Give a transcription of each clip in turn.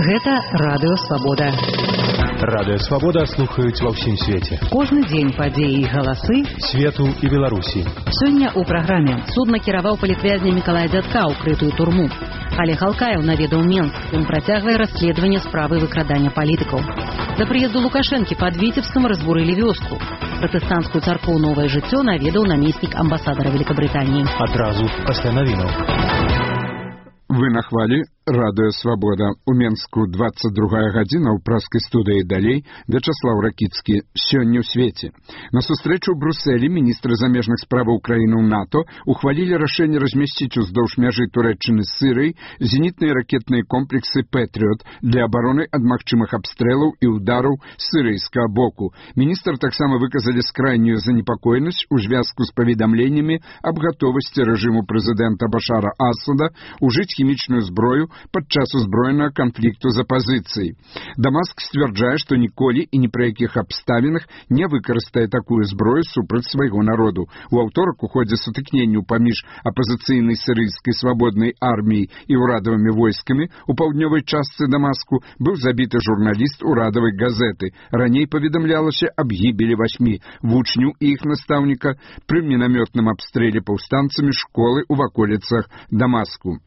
Гэта Радыё Свабода. Радыё Свабода слухаюць ва ўсім свеце. Кожны дзень падзеі і галасы свету і Беларусі. Сёння ў праграме судна кіраваў палітвязня Мікалая Дзядка ў крытую турму. Олег Алкаев наведаў Менск. Ён працягвае расследаванне справы выкрадання палітыкаў. Да прыезду Лукашэнкі пад Віцебскам разбурылі вёску. Пратэстанцкую царкву «Новае жыццё» наведаў намеснік амбасадара Великабрытаніі. Адразу пасля навінаў. Вы на хвалі Радыё Свабода. У Менску 22 гадзіна ў праскай студыі далей Вячаслаў Ракіцкі. Сёння ў свеце. На сустрэчу ў Брусэлі міністры замежных справаў краінаў НАТО ухвалілі рашэнне размясціць уздоўж мяжы Турэччыны з Сырыяй зенітныя ракетныя комплексы «Пэтрыот» для абароны ад магчымых абстрэлаў і ўдараў сырыйскага боку. Міністр таксама выказалі скрайнюю занепакоенасць у звязку з паведамленнямі аб гатовасці рэжыму прэзідэнта Башара Асада ужыць хімічную зброю падчас узброенага канфлікту за пазіцыяй. Дамаск сцвярджае, што ніколі і ні пры якіх абставінах не выкарыстае такую зброю супраць свайго народу. У аўторак у ходзе сутыкненняў паміж апазіцыйнай сірыйскай свабоднай арміяй і ўрадавымі войскамі у паўднёвай частцы Дамаску быў забіты журналіст урадавай газеты. Раней паведамлялася аб гібелі 8 вучняў і іх настаўніка пры мінамётным абстрэле паўстанцамі школы ў ваколіцах Дамаску.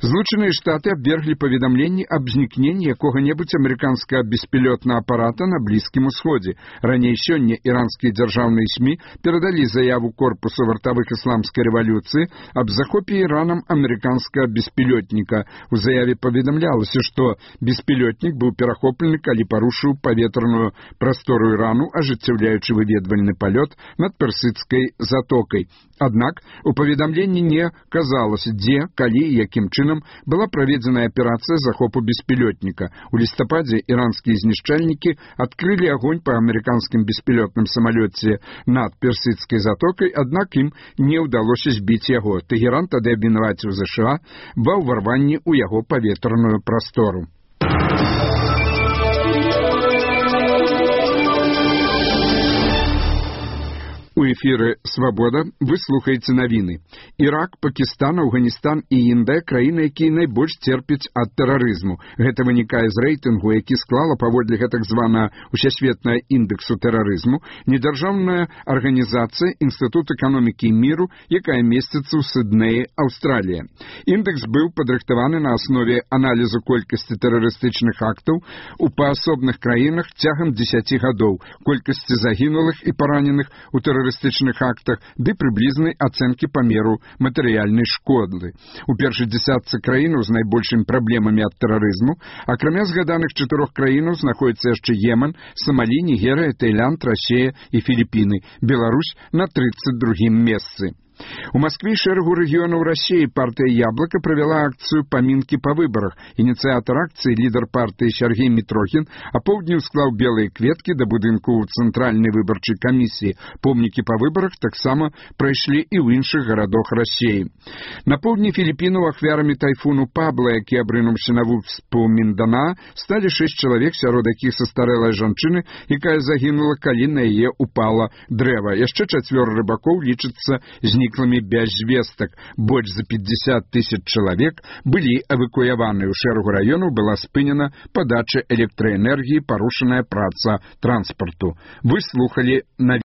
Злучаныя Штаты абверглі паведамленні аб знікненні якога-небудзь амерыканскага беспілётнага апарата на Блізкім Усходзе. Раней сёння іранскія дзяржаўныя СМІ перадалі заяву корпусу вартавых ісламскай рэвалюцыі аб захопе Іранам амерыканскага беспілётніка. У заяве паведамлялася, што беспілётнік быў перахоплены, калі парушыў паветраную прастору Ірану, ажыццяўляючы выведвальны палёт над Персідскай затокай. Аднак у паведамленні не казалася, дзе, калі і якім чынам была праведзеная аперацыя захопу беспілётніка. У лістападзе іранскія знішчальнікі адкрылі агонь па амерыканскім беспілётным самалёце над Персідскай затокай, аднак ім не ўдалося збіць яго. Тэгеран тады абвінаваціў ЗША ва ўварванні ў яго паветраную прастору. У эфіры «Свабода» вы слухаеце навіны. Ірак, Пакістан, Афганістан і Індыя – краіны, якія найбольш церпяць ад тэрарызму. Гэта вынікае з рэйтынгу, які склала паводле гэтак званага Усесветнага індэксу тэрарызму недзяржаўная арганізацыя Інстытут эканомікі і міру, якая месціцца ў Сіднеі, Аўстралія. Індэкс быў падрыхтаваны на аснове аналізу колькасці тэрарыстычных актаў у паасобных краінах цягам 10 гадоў, колькасці загінулых і параненых у тэрарыстычных актах ды прыблізнай ацэнкі памеру матэрыяльнай шкоды. У першай дзесятцы краінаў з найбольшымі праблемамі ад тэрарызму, акрамя згаданых 4 краінаў, знаходзіцца яшчэ Йемен, Самалі, Нігерыя, Таіланд, Расія і Філіпіны. Беларусь на 32-м месцы. У Маскве і шэрагу рэгіёнаў Расіі партыя «Яблока» правяла акцыю «Памінкі па выбарах». Ініцыятар акцыі, лідар партыі Сергей Мітрохін, апоўдні склаў белыя кветкі да будынку ў Цэнтральнай выбарчай камісіі. Помнікі па выбарах таксама прайшлі і ў іншых гарадах Расіі. На поўдні Філіпінаў ахвярамі тайфуну Пабла, які абрынуўся на выспу Міндана, сталі 6 чалавек, сярод якіх састарэлая жанчына, якая загінула, калі на яе упала дрэва. Яшчэ 4 рыбакоў лічацца зніклымі без звестак. Больш за 50 000 чалавек былі эвакуяваны. У шэрагу раёнаў была спынена падача электраэнергіі, парушаная праца транспарту. Вы слухалі на